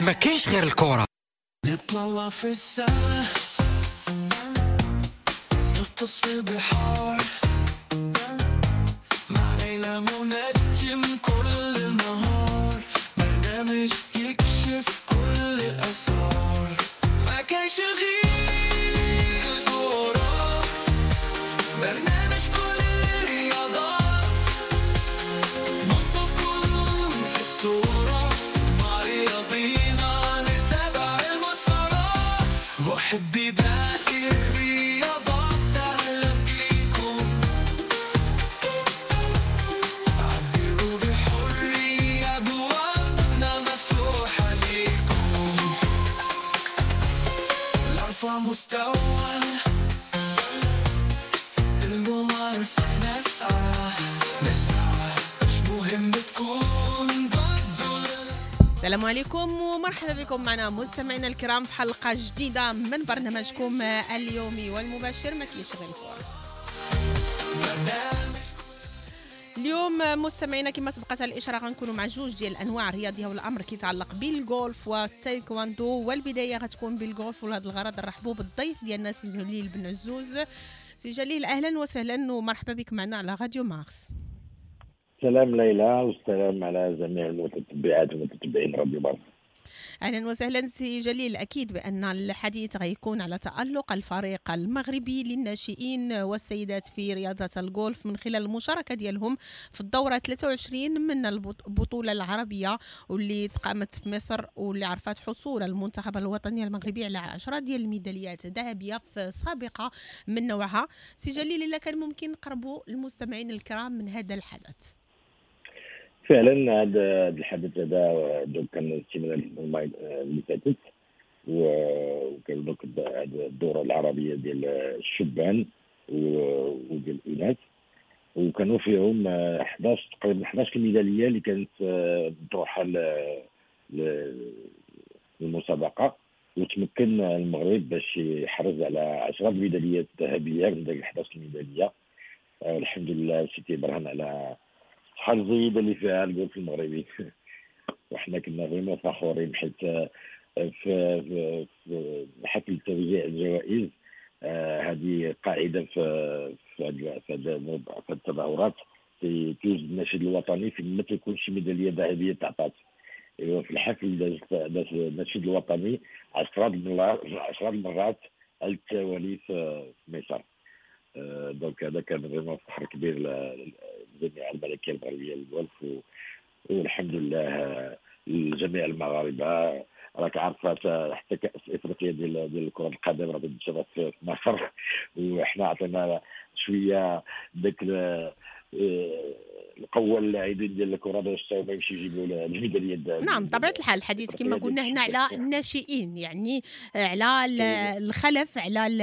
ما كاينش غير الكرة. نطلع في السما، نغطس في البحار، مع ليلى منجم كل نهار، برنامج يكشف كل الأسرار. ما كاينش غير الكرة، برنامج كل الرياضات، نحطكم في الصورة، مع رياضينا نتابع المسارات. محبي باقي الرياضات أهلا بيكم، عبروا بحرية، أبوابنا مفتوحة ليكم. لأرفع مستوى الممارسة نسعى نسعى، مش مهم تكون ضد. السلام عليكم ومرحبا بكم معنا مستمعينا الكرام في حلقة جديدة من برنامجكم اليومي والمباشر ما كاينش غير الكرة. اليوم مستمعينا كما سبقت الإشارة غنكونوا مع جوج ديال الأنواع الرياضية، والأمر كيتعلق بالجولف والتايكواندو، والبداية غتكون بالجولف. ولهذا الغرض نرحبوا بالضيف ديالنا سي جليل بن عزوز. سي جليل أهلا وسهلا ومرحبا بك معنا على راديو مارس. سلام ليلى والسلام على جميع المتتبعات والمتتبعين راديو مارس. اهلا وسهلا سي جليل. اكيد بان الحديث غيكون على تالق الفريق المغربي للناشئين والسيدات في رياضة الجولف من خلال المشاركة ديالهم في الدورة 23 من البطولة العربية واللي تقامت في مصر، واللي عرفت حصول المنتخب الوطني المغربي على 10 ديال الميداليات ذهبية في سابقه من نوعها. سي جليل، الا كان ممكن نقربوا المستمعين الكرام من هذا الحدث. فعلا هذا الحدث هذا كان السيمانة اللي فاتت، وكان donc الدورة العربية ديال الشبان وديال الاناث، وكانوا فيهم 11 تقريبا 11 ميدالية اللي كانت مطروحة للمسابقه، وتمكن المغرب باش يحرز على 10 ميداليات ذهبية من داك 11 ميدالية. الحمد لله سيتي برهن على الصحة الجيدة اللي فيها الجولف المغربي، وحنا كنا vraiment فخورين حيت في حفل توزيع الجوائز هذه قاعدة في في التظاهرات توجد النشيد الوطني في ما تكون شي ميدالية ذهبية تعطات. ايوا في الحفل داز النشيد الوطني 10 المرات على التوالي في مصر. donc هذا كان vraiment فخر كبير للجامعة الملكية المغربية للجولف، والحمد لله لجميع المغاربة. راك عارفه حتى كاس افريقيا ديال كره القدم راه تنشرت في مصر، وحنا عطينا شوية داك القوة اللاعبين ديال الكره باش ما يمشي يجيبوا الميداليه. نعم بطبيعة الحال الحديث كما قلنا هنا على الناشئين، يعني على الخلف، على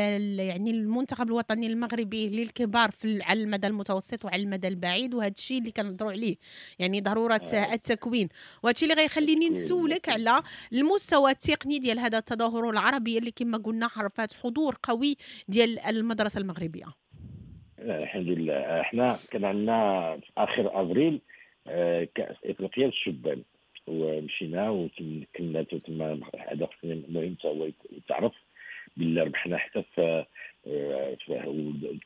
يعني المنتخب الوطني المغربي للكبار في على المدى المتوسط وعلى المدى البعيد، وهذا الشيء اللي كنهضروا عليه يعني ضرورة التكوين، وهذا الشيء اللي غيخليني نسولك على المستوى التقني ديال هذا التظاهر العربي اللي كما قلنا عرفات حضور قوي ديال المدرسة المغربية. الحمد لله احنا كان عندنا في اخر افريل كاس افريقيا للشبان، ومشينا وتمكنا تما هذا المهم حتى هو يتعرف باللي ربحنا حتى في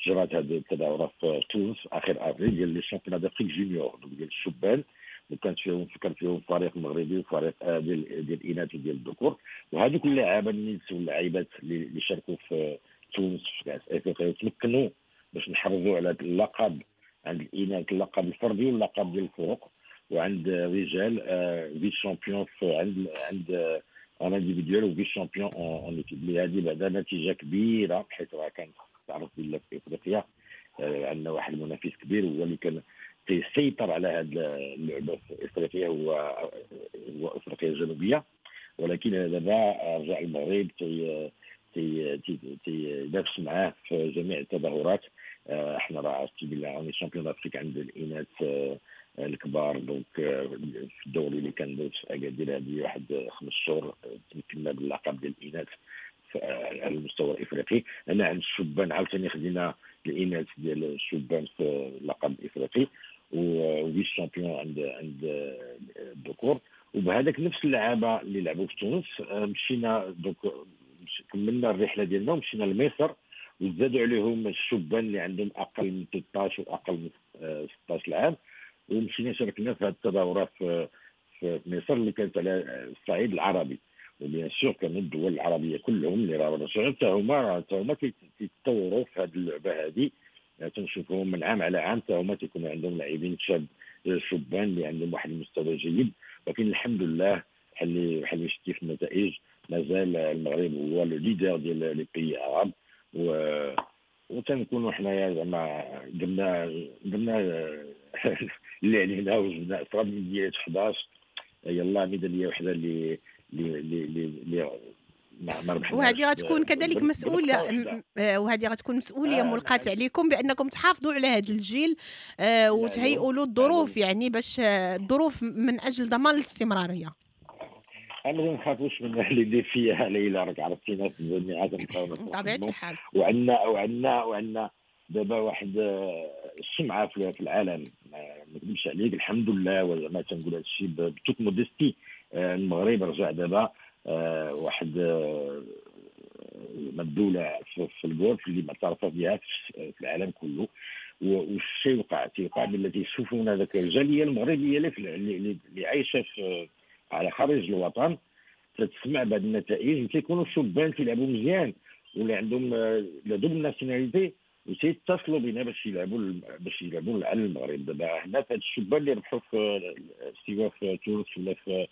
تجرات هذه التظاهرة في تونس في اخر افريل ديال les championnats d'Afrique juniors ديال الشبان، وكانت فيهم كان فيهم فريق مغربي وفريق ديال الاناث وديال الذكور، وهذوك اللاعبين الناس واللاعبات اللي شاركوا في تونس في كاس افريقيا وتمكنوا باش نحرزوا على اللقب عند الاناث، اللقب الفردي واللقب ديال الفرق، وعند الرجال vice-champion عند en individuel و vice-champion en équipe. اللي هذه بعدا نتيجة كبيرة، حيت راه كانت تعرف بالله في افريقيا عندنا واحد المنافس كبير هو اللي كان تيسيطر على هذه اللعبة في افريقيا، هو افريقيا الجنوبية، ولكن دابا رجع المغرب تينافس معاه في جميع التظاهرات. احنا راه عرفتي بلي on est champion d'Afrique عند الاناث الكبار، donc في الدوري اللي كان داز في اكادير هذه واحد 5 شهور تمكنا باللقب ديال الاناث على المستوى الافريقي. انا عند الشبان عاوتاني خدينا الاناث ديال الشبان في اللقب الافريقي و vice-champion عند الذكور. وبهذاك نفس اللعابه اللي لعبوا في تونس مشينا donc كملنا الرحلة ديالنا ومشينا لمصر، وزادوا عليهم الشبان اللي عندهم اقل من 13 واقل من 16 عام، ومشينا شاركنا في هذه التظاهرات في مصر اللي كانت على الصعيد العربي. و bien sûr كانوا الدول العربية كلهم اللي راه رجعوا حتى هما كيتطوروا في هذه اللعبة هذه، تنشوفهم من عام على عام حتى هما تيكونوا عندهم لاعبين شبان اللي عندهم واحد المستوى جيد. ولكن الحمد لله بحال اللي شتي في النتائج مازال المغرب هو le leader ديال les pays arabes، وتنكونوا حنايا زعما درنا اللي علينا وجبنا 10 ميداليات 11، يلا ميدالية وحده اللي اللي ما ربحناش. وهذه غتكون كذلك مسؤولية، وهذه غتكون مسؤولية ملقاة عليكم بانكم تحافظوا على هذا الجيل وتهيئوا له الظروف، يعني باش الظروف من اجل ضمان الاستمرارية. انا ما نخافوش من les défis ليلى، راك عرفتينا في الجامعات بطبيعة الحال، وعندنا دابا واحد السمعة في العالم، ما نكذبش عليك الحمد لله، وزعما تنقول هذا الشيء ب toute modestie. المغرب رجع دابا واحد الدولة في الجولف اللي معترفة بها في العالم كله. والشيء وقع تيوقع ملي تيشوفونا ذاك الجالية المغربية اللي عايشه على خارج الوطن تتسمع بهذه النتائج، وتيكونوا الشبان تيلعبوا مزيان واللي عندهم la double nationalité وتيتصلوا بنا باش يلعبوا على المغرب. دابا هنا في هاد الشبان اللي ربحوا في سواء في تونس ولا في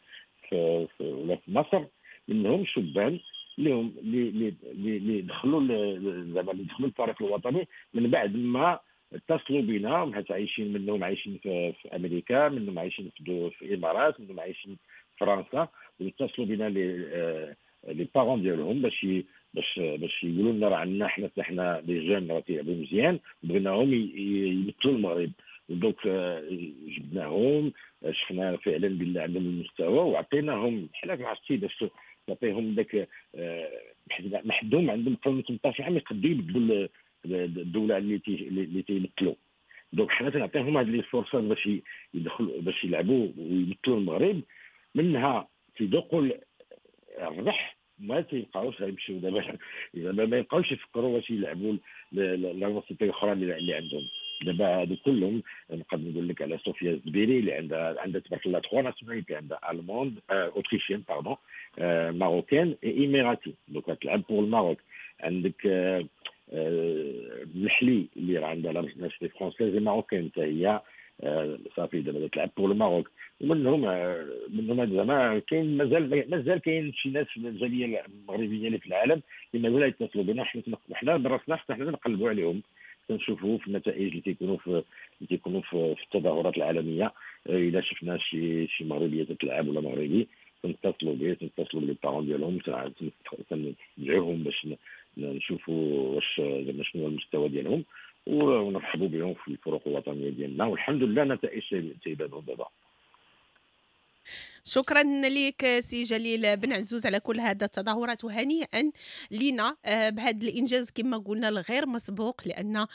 ولا في مصر، منهم شبان اللي اللي دخلوا زعما اللي دخلوا الفريق الوطني من بعد ما اتصلوا بنا، حيت عايشين منهم عايشين في امريكا، منهم عايشين في الامارات، منهم عايشين في فرنسا، واتصلوا بنا les parents ديالهم باش باش يقولوا لنا راه عندنا حنا les jeunes راه تيلعبوا مزيان وبغيناهم يمثلوا المغرب. donc جبناهم، شفنا فعلا بالله عندهم المستوى وعطيناهم بحال عرفتي باش تعطيهم داك محدهم عندهم قبل من 18 عام يقدروا يبدلوا الدولة اللي تيمثلوا. donc حنا تنعطيهم هاد les فرصات باش يدخلوا باش يلعبوا ويمثلوا المغرب، منها تيذوقوا الربح، ما تيبقاوش غيمشيو دابا زعما ما يبقاوش يفكروا باش يلعبوا la nationalité الاخرى اللي عندهم. دابا هادو كلهم نقدر نقول لك على صوفيا الزبيري اللي عندها تبارك الله 3 nationalités، عندها allemande autrichienne pardon marocaine et émiratie، donc تلعب pour ال Maroc. عندك الحلي اللي راه عندها la nationalité française marocaine حتى هي صافي دابا تلعب pour ال Maroc. ومنهم زعما كاين مازال كاين شي ناس في الجالية المغربية اللي في العالم اللي مازال يتصلوا بنا. حنا براسنا حتى حنا نقلبوا عليهم، تنشوفوا في النتائج اللي تيكونوا في التظاهرات العالمية. الا شفنا شي مغربية تتلعب ولا مغربي تنتصلوا به، تنتصلوا ب les parents ديالهم، تنشجعوهم باش نشوفوا واش زعما شنو هو المستوى ديالهم ونرحبوا بهم في الفرق الوطنية ديالنا. والحمد لله النتائج تيبانوا دابا. شكرا لك سي جليل بن عزوز على كل هذا التظاهرات، وهنيئا لنا بهذا الانجاز كما قلنا الغير مسبوق، لان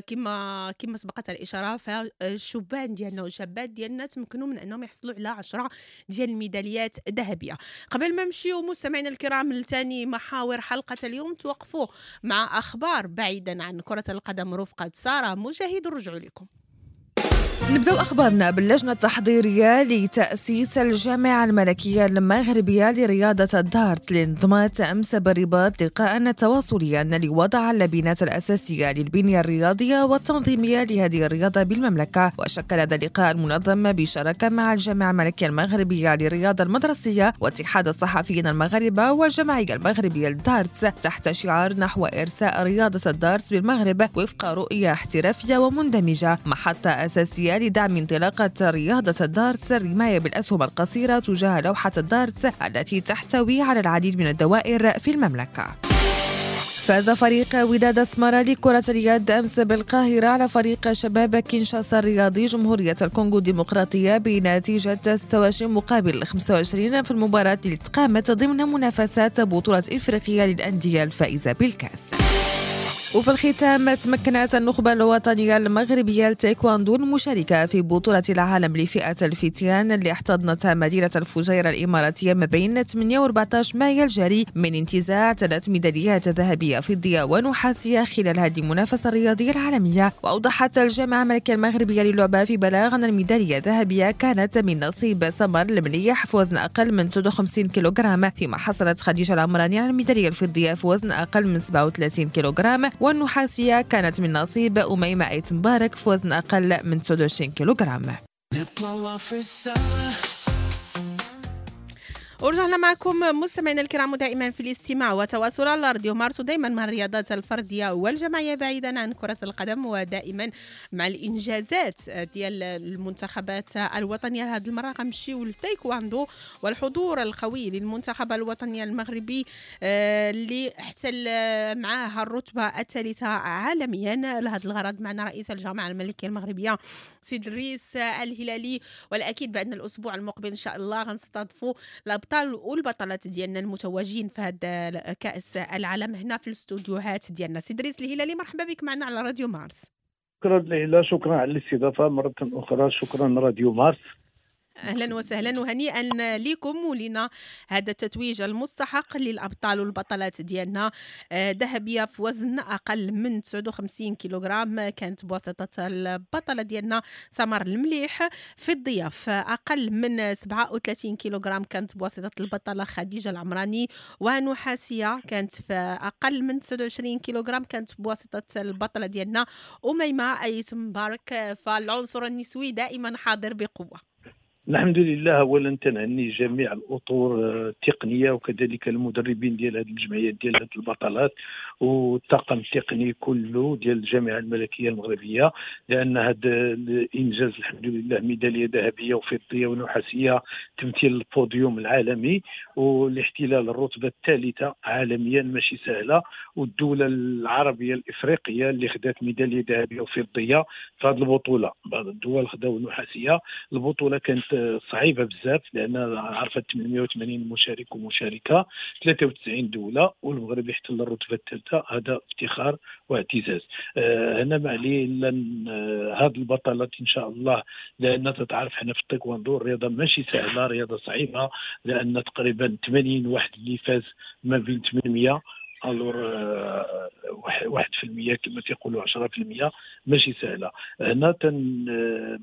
كما سبقت الاشارة فالشبان ديالنا والشابات ديالنا تمكنوا من انهم يحصلوا على 10 ديال الميداليات ذهبية. قبل ما نمشيو مستمعينا الكرام لثاني محاور حلقة اليوم، توقفوا مع اخبار بعيدا عن كره القدم رفقه ساره مجاهد. رجعوا لكم. نبدأ أخبارنا باللجنة التحضيرية لتأسيس الجامعة الملكية المغربية لرياضة الدارت اللي انضمت أمس بالرباط لقاء تواصليا لوضع اللبنات الأساسية للبنية الرياضية والتنظيمية لهذه الرياضة بالمملكة. وشكل هذا اللقاء المنظم بشراكة مع الجامعة الملكية المغربية للرياضة المدرسية واتحاد الصحفيين المغاربة والجمعية المغربية للدارت تحت شعار نحو إرساء رياضة الدارت بالمغرب وفق رؤية احترافية ومندمجة، محطة أساسية لدعم انطلاقة رياضة الدارتس الرماية بالأسهم القصيرة تجاه لوحة الدارتس التي تحتوي على العديد من الدوائر في المملكة. فاز فريق وداد أسمرة لكرة اليد أمس بالقاهرة على فريق شباب كينشاسا الرياضي جمهورية الكونغو الديمقراطية بنتيجة 26 مقابل 25 في المباراة اللي تقامت ضمن منافسات بطولة إفريقيا للأندية الفائزة بالكأس. وفي الختام، تمكنت النخبة الوطنية المغربية للتايكواندو المشاركة في بطولة العالم لفئة الفتيان اللي احتضنتها مدينة الفجيرة الإماراتية ما بين 8 و 14 مايو الجاري من انتزاع 3 ميداليات ذهبية، فضية ونحاسية خلال هذه المنافسة الرياضية العالمية. وأوضحت الجامعة الملكية المغربية للعبة في بلاغ أن الميدالية الذهبية كانت من نصيب سمر المليح في وزن أقل من 59 كيلوغرام، فيما حصلت خديجة العمراني على الميدالية الفضية في وزن أقل من 37 كيلوغرام، والنحاسية كانت من نصيب أميمة أيت مبارك في وزن أقل من 29 كيلوغرام. نطلع في السما. ورجعنا معكم مستمعينا الكرام دائما في الاستماع وتواصل على راديو مارس، ودائما مع الرياضات الفردية والجماعيه بعيدا عن كره القدم، ودائما مع الانجازات ديال المنتخبات الوطنية. هذه المرة غنمشيو للتايكواندو والحضور القوي للمنتخب الوطني المغربي اللي احتل معها الرتبة الثالثة عالميا. لهذا الغرض معنا رئيس الجامعة الملكية المغربية سيد الريس الهلالي، والاكيد بان الاسبوع المقبل ان شاء الله غنستضيفوا الابطال والبطلات ديالنا المتوجين في هذا كاس العالم هنا في الاستوديوهات ديالنا. سيد دريس الهلالي، مرحبا بك معنا على راديو مارس. شكرا ليلى، شكرا على الاستضافة مرة اخرى، شكرا راديو مارس. اهلا وسهلا وهنيئا لكم ولنا هذا التتويج المستحق للابطال والبطلات ديالنا. ذهبية في وزن اقل من 59 كيلوغرام كانت بواسطة البطلة ديالنا سمر المليح، فضية في اقل من 37 كيلوغرام كانت بواسطة البطلة خديجة العمراني، ونحاسيه كانت في اقل من 29 كيلوغرام كانت بواسطة البطلة ديالنا اميمة ايت مبارك. فالعنصر النسوي دائما حاضر بقوة. الحمد لله. اولا تنهني جميع الاطر التقنية وكذلك المدربين ديال هذه الجمعيات ديال هذه البطلات والطاقم التقني كله ديال الجامعة الملكية المغربية، لان هذا الانجاز الحمد لله ميدالية ذهبية وفضيه ونحاسيه، تمثيل البوديوم العالمي والاحتلال الرتبة الثالثة عالميا ماشي سهلة، والدولة العربية الافريقية اللي خدات ميدالية ذهبية وفضيه في هذه البطولة، بعض الدول خداو نحاسيه. البطولة كانت صعيبة بزاف لان عرفت 880 مشارك ومشاركة، 93 دولة، والمغرب يحتل الرتبة الثالثة، هذا افتخار واعتزاز. هنا ما عليه الا هاد البطلات ان شاء الله، لان تتعرف حنا في التايكواندو الرياضة ماشي سهلة، رياضة صعيبة، لان تقريبا 80 واحد اللي فاز ما بين 800، alors 1% كما تيقولوا 10% ماشي سهلة. هنا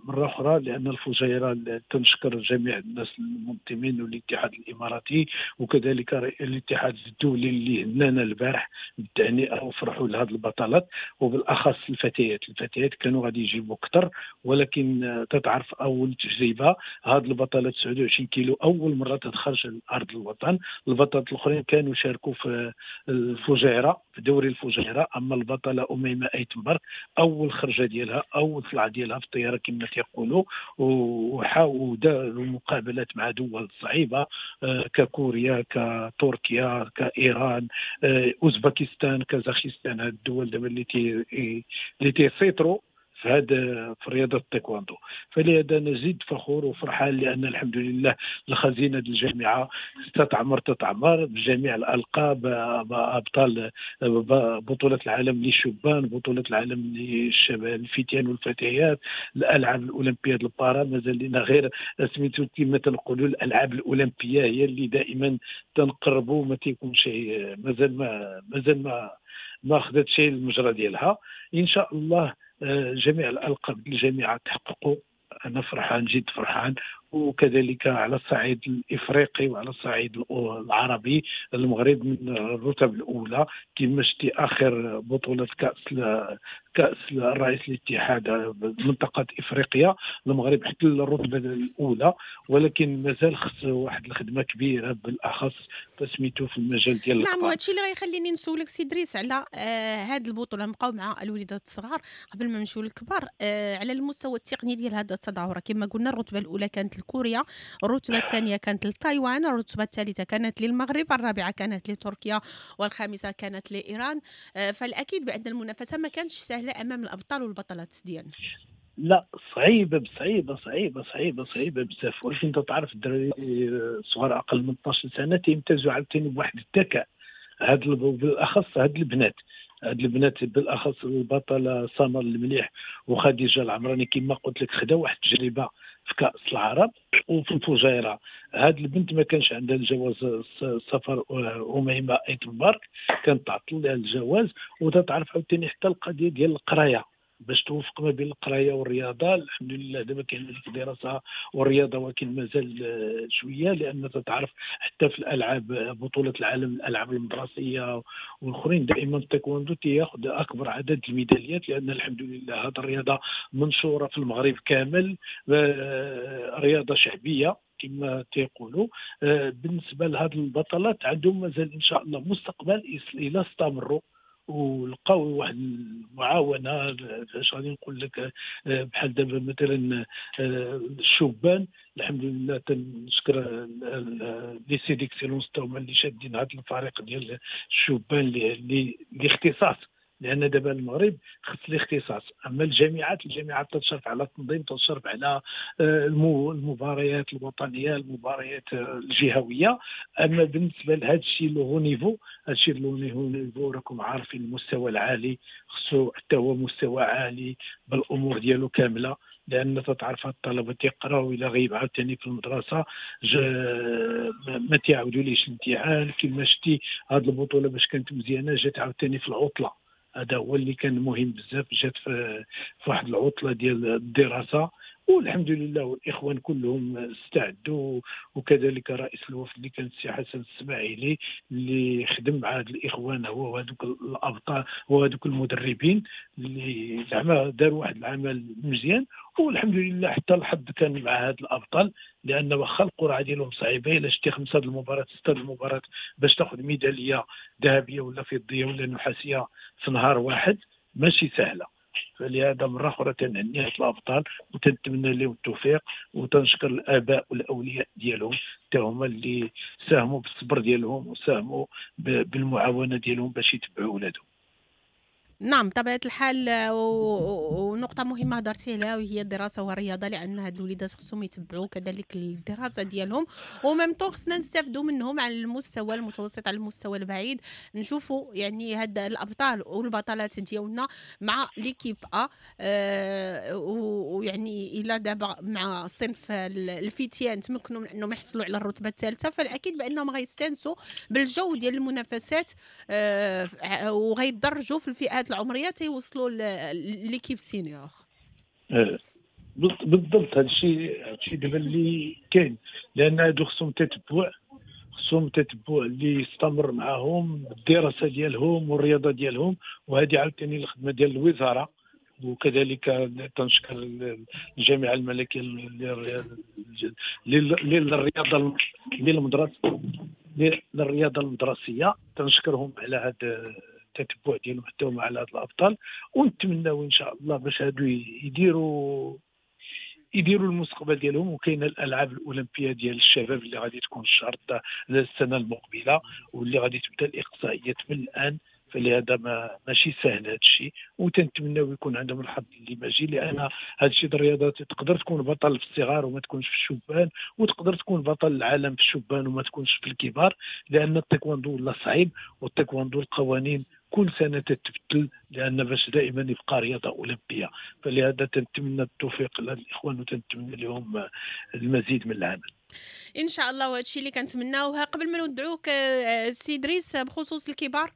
مرة اخرى لان الفجيرة تنشكر جميع الناس المنظمين والاتحاد الاماراتي وكذلك الاتحاد الدولي اللي هنانا البارح بالتهنئه وفرحوا لهذه البطلات، وبالاخص الفتيات. الفتيات كانوا غادي يجيبوا اكثر، ولكن تتعرف اول تجربه هذه البطلات 29 كيلو اول مرة تتخرج لارض الوطن. البطلات الاخرين كانوا شاركوا في الفجيرة في دوري الفجيرة، اما البطلة اميمة ايت مبارك اول خرجه ديالها اول طلعه ديالها في الطيارة كما تيقولوا، وحاولوا داروا مقابلات مع دول صعيبة ككوريا، كتركيا، كايران، اوزباكستان، كازاخستان، هاد الدول دابا اللي تيسيطروا في هذا في رياضة التايكواندو. فلهذا انا جد فخور وفرحان لان الحمد لله الخزينة ديال الجامعة تتعمر بجميع الالقاب، ابطال بطوله العالم للشبان، بطوله العالم للشباب الفتيان والفتيات، الالعاب الاولمبية البارا، مازال لنا غير سميتو كما تنقولوا الالعاب الاولمبية هي اللي دائما تنقربوا، ما تيكون شيء مازال ما ما خدات شيء المجرى ديالها. ان شاء الله جميع الألقاب الجامعة تحققوا، أنا فرحان جد فرحان، وكذلك على الصعيد الإفريقي وعلى الصعيد العربي المغرب من الرتب الأولى كما شتي آخر بطولة كأس الرئيس الاتحاد منطقة إفريقيا المغرب احتل الرتبة الأولى، ولكن مازال خص واحد الخدمة كبيرة بالأخص تسميته في المجال ديال. نعم، وهذا الشيء اللي غيخليني نسولك سي دريس على هذه البطولة. نبقاو مع الوليدات الصغار قبل ما نمشيو للكبار. على المستوى التقني ديال هذا التظاهرة كما قلنا الرتبة الأولى كانت لكوريا، الرتبة الثانية كانت لتايوان، الرتبة الثالثة كانت للمغرب، الرابعة كانت لتركيا، والخامسة كانت لإيران. فالأكيد بأن المنافسة ما كانتش سهلة أمام الأبطال والبطلات ديالنا. لا، صعيبة صعيبة صعيبة صعيبة صعيبة بزاف، ولكن انت تعرف الدراري الصغار أقل من 12 سنة تيمتازوا عاوتاني بواحد الذكاء، هاد بالأخص هاد البنات. هاد البنات بالاخص البطلة سمر المليح وخديجة العمراني كما قلت لك خداو واحد التجربة في كاس العرب وفي الفجيرة. هاد البنت ما كانش عندها الجواز السفر اميمة ايت مبارك، كانت تعطل لها الجواز، وتتعرف عاوتاني حتى القضية ديال القراية باش توفق ما بين القراية والرياضة. الحمد لله دابا كاين هذيك الدراسة والرياضة، ولكن مازال شوية، لان تتعرف حتى في الالعاب بطوله العالم الالعاب المدرسية والاخرين دائما التايكوندو تياخذ اكبر عدد الميداليات، لان الحمد لله هذه الرياضة منشورة في المغرب كامل، رياضة شعبية كما تيقولوا. بالنسبة لهاد البطلات عندهم مازال ان شاء الله مستقبل الى استمروا ولقاو واحد المعاونه. اش غادي نقول لك، بحال دابا مثلا الشبان الحمد لله تنشكر lycée d'excellence تا هما اللي شادين هذا الفريق ديال الشبان اللي اختصاص، لان دابا المغرب خص الاختصاص. اما الجامعات تشرف على التنظيم، تشرف على المباريات الوطنية، المباريات الجهوية. اما بالنسبة لهذا الشيء le haut niveau، هذا الشيء le haut niveau راكم عارفين المستوى العالي خصو حتى هو مستوى عالي بالامور ديالو كاملة، لان تتعرف الطلبة تيقراو الى غيب عاوتاني في المدرسة ما تيعاودوا ليش الامتحان. كما شتي هذه البطولة باش كانت مزيانه جات عاوتاني في العطلة، هذا هو اللي كان مهم بزاف، جات في واحد العطلة ديال الدراسة، والحمد لله والاخوان كلهم استعدوا، وكذلك رئيس الوفد اللي كان السي حسن السماعيلي اللي خدم مع هاد الاخوان هو وهذوك الابطال وهذوك المدربين اللي زعما داروا واحد العمل مزيان، والحمد لله حتى الحظ كان مع هاد الابطال، لان واخا القرعة ديالهم صعيبة، الا شتي 5 المباريات 6 المباريات باش تاخذ ميدالية ذهبية ولا فضية ولا نحاسيه في نهار واحد ماشي سهلة. فلهذا مرة اخرى تنهني هاد الابطال وتنتمنى لهم التوفيق، وتنشكر الاباء والاولياء ديالهم حتى هما اللي ساهموا بالصبر ديالهم وساهموا بالمعاونه ديالهم باش يتبعوا ولادهم. نعم طبيعة الحال، ونقطة مهمة هضرتي عليها وهي الدراسة والرياضة، لأن هاد الوليدات خصهم يتبعوا كذلك الدراسة ديالهم، و même temps خصنا نستافدوا منهم على المستوى المتوسط، على المستوى البعيد، نشوفوا يعني هاد الأبطال والبطلات ديالنا مع l'équipe A، ويعني إلا دابا مع صنف الفتيان تمكنوا من أنهم يحصلوا على الرتبة الثالثة، فالأكيد بأنهم غيستانسوا بالجو ديال المنافسات، وغيتدرجوا في الفئات العمرية تيوصلوا l'équipe senior. بالضبط هذا الشيء دابا اللي كاين، لان هادو خصهم تتبع اللي يستمر معاهم الدراسة ديالهم والرياضة ديالهم، وهذه عاوتاني الخدمة ديال الوزارة. وكذلك تنشكر الجامعة الملكية للرياضة للرياضة المدرسية، تنشكرهم على هذا التتبع ديالهم حتى هما على هاد الابطال، ونتمناو ان شاء الله باش هادو يديروا المستقبل ديالهم. وكاينه الالعاب الاولمبية ديال الشباب اللي غادي تكون الشهر السنة المقبلة، واللي غادي تبدا الاقصائيات من الان، فلهذا ماشي سهل هذا الشيء، وتنتمناو يكون عندهم الحظ اللي ماجي، لان هذا الشيء الرياضات تقدر تكون بطل في الصغار وما تكونش في الشبان، وتقدر تكون بطل العالم في الشبان وما تكونش في الكبار، لان التايكوندو ولا صعيب، والتايكوندو القوانين كل سنة تتبدل، لان باش دائما يبقى رياضة اولمبيه. فلهذا تنتمنى التوفيق للاخوان وتنتمنى لهم المزيد من العمل ان شاء الله، وهذا الشيء اللي كنتمناوه. قبل ما نودعوك سي دريس، بخصوص الكبار،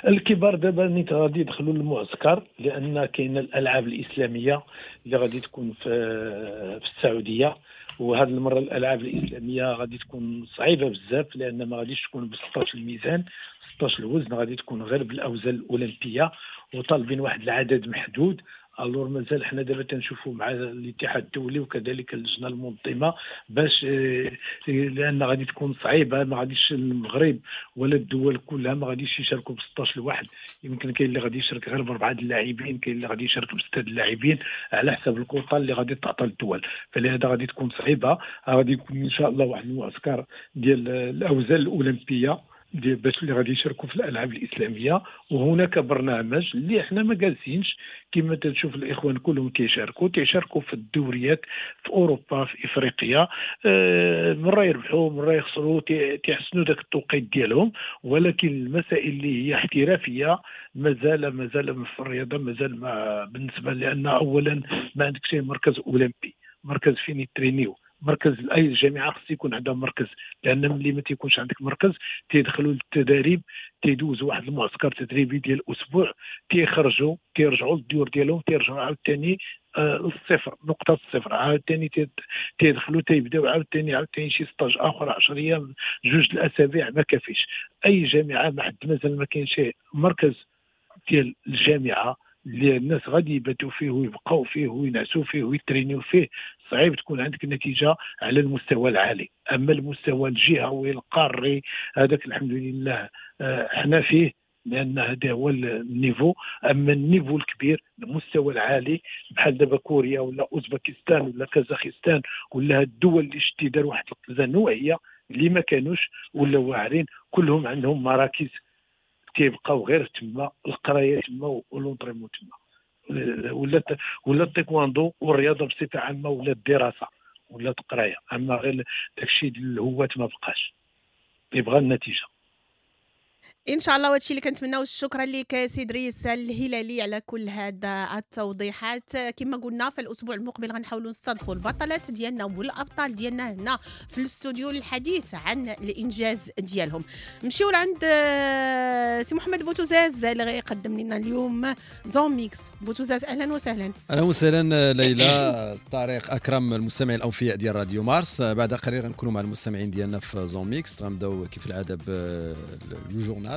الكبار دابا نيت غادي يدخلوا للمعسكر، لان كاين الالعاب الاسلامية اللي غادي تكون في السعودية، وهذه المرة الالعاب الاسلامية غادي تكون صعيبة بزاف، لان ما غاديش تكون ب 16 الميزان 16 الوزن، غادي تكون غير بالاوزان الاولمبية، وطالبين واحد العدد محدود. alors مازال حنا دابا تنشوفوا مع الاتحاد الدولي وكذلك اللجنة المنظمة باش، لان غادي تكون صعيبة، ما غاديش المغرب ولا الدول كلها ما غاديش يشاركوا ب 16 لواحد، يمكن كاين اللي غادي يشارك غير ب4 اللاعبين، كاين اللي غادي يشارك ب6 اللاعبين على حسب الكوطه اللي غادي تعطى للدول، فلهذا غادي تكون صعيبة. غادي يكون ان شاء الله واحد المعسكر ديال الاوزان الاولمبية باش اللي غادي يشاركوا في الالعاب الاسلامية. وهناك برنامج اللي احنا ما جالسينش كما تنشوف الاخوان كلهم تيشاركوا في الدوريات في اوروبا في افريقيا، مرة يربحوا مرة يخسروا، تيحسنوا داك التوقيت ديالهم. ولكن المسائل اللي هي احترافية مازال في الرياضة مازال ما بالنسبة، لان اولا ما عندك شي مركز اولمبي، مركز فين يترينيو، مركز اي جامعه خص يكون عندها مركز، لان ملي ما تيكونش عندك مركز تيدخلوا للتدريب، تيدوزوا واحد المعسكر تدريبي ديال اسبوع، تيخرجوا تيرجعوا للديور ديالهم، تيرجعوا عاوتاني للصفر، نقطة الصفر، عاوتاني تيدخلوا تيبداو عاوتاني شي stage اخر 10 ايام 2 الاسابيع، ما كافيش. اي جامعه ما حد مازال ما كاين شي مركز ديال الجامعة اللي الناس غادي يباتوا فيه ويبقاو فيه وينعسوا فيه ويترينيو فيه، صعيب تكون عندك نتيجة على المستوى العالي. اما المستوى الجهوي القاري هذاك الحمد لله احنا فيه، لان هذا هو ال niveau. اما ال niveau الكبير المستوى العالي بحال دابا كوريا ولا اوزبكستان ولا كازاخستان ولا الدول اللي شتي دار واحد القفزة نوعية اللي ما كانوش ولا واعرين، كلهم عندهم مراكز تيبقاو غير تما، القراية تما و l'entraînement تما، ولا التايكواندو والرياضة بصفة عامة ولا الدراسة ولا القراية. اما غير داكشي ديال الهواة ما بقاش، يبغى النتيجة ان شاء الله. وهادشي اللي كنتمناو. شكرا لك سي دريس الهلالي على كل هذا التوضيحات. كما قلنا في الاسبوع المقبل غنحاولوا نستضيفوا البطلات ديالنا والابطال ديالنا هنا في الاستوديو للحديث عن الانجاز ديالهم. نمشيو لعند سي محمد بوتوزاز اللي غيقدم لنا اليوم Zone Mixte. بوتوزاز اهلا وسهلا. اهلا وسهلا ليلى، طارق اكرم، المستمعين الاوفياء ديال راديو مارس. بعد قليل غنكونوا مع المستمعين ديالنا في Zone Mixte. غنبداو كيف العادة ب le journal،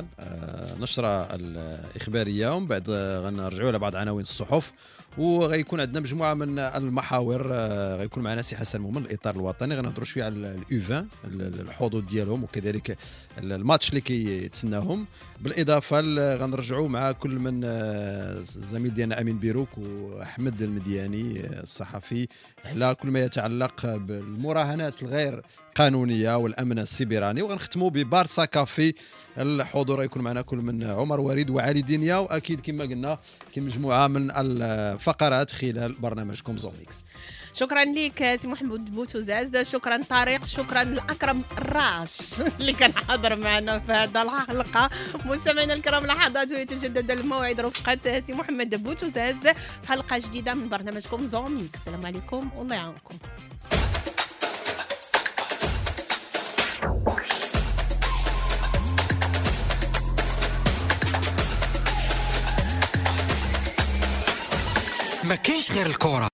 نشرة الإخبارية، ومن بعد غنرجعوا على بعض عناوين الصحف، وغيكون عندنا مجموعة من المحاور. غيكون معنا سي حسن مومن الإطار الوطني، غنهضروا شوية على ال U20 الحظوظ ديالهم وكذلك الماتش اللي كيتسناهم. بالإضافة غنرجعوا مع كل من الزميل ديالنا أمين بيروك وأحمد المدياني الصحفي على كل ما يتعلق بالمراهنات الغير قانونية والأمن السيبراني. وغنختموا ببارسا كافي، الحضور يكون معنا كل من عمر وريد وعلي دنيا، وأكيد كما قلنا كاين مجموعة من الفقرات خلال برنامجكم Zone Mixte. شكرا لك سي محمد بوتوزاز، شكرا طارق، شكرا لأكرم الراش اللي كان حاضر معنا في هذا الحلقة. مستمعينا الكرام، لحظات ويتجدد الموعد رفقة سي محمد بوتوزاز في حلقة جديدة من برنامجكم Zone Mixte. السلام عليكم والله يعاونكم. ما كاينش غير الكرة.